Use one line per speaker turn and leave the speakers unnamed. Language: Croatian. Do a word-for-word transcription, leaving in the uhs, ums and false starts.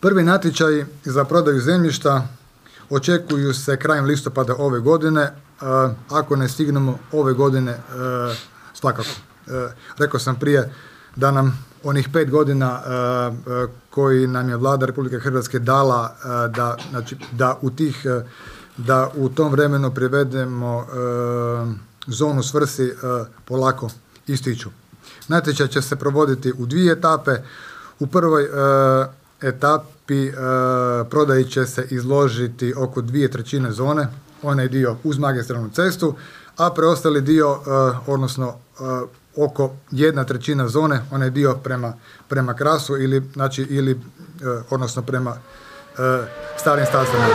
Prvi natječaji za prodaju zemljišta očekuju se krajem listopada ove godine. Ako ne stignemo ove godine, svakako. Rekao sam prije da nam onih pet godina koji nam je Vlada Republike Hrvatske dala da, znači, da, u tih, da u tom vremenu privedemo zonu svrsi polako ističu. Natječaj će se provoditi u dvije etape. U prvoj etapi prodaji će se izložiti oko dvije trećine zone, onaj dio uz magistralnu cestu, a preostali dio, odnosno oko jedna trećina zone, onaj dio prema, prema Krasu ili, znači, ili odnosno prema starim stazama.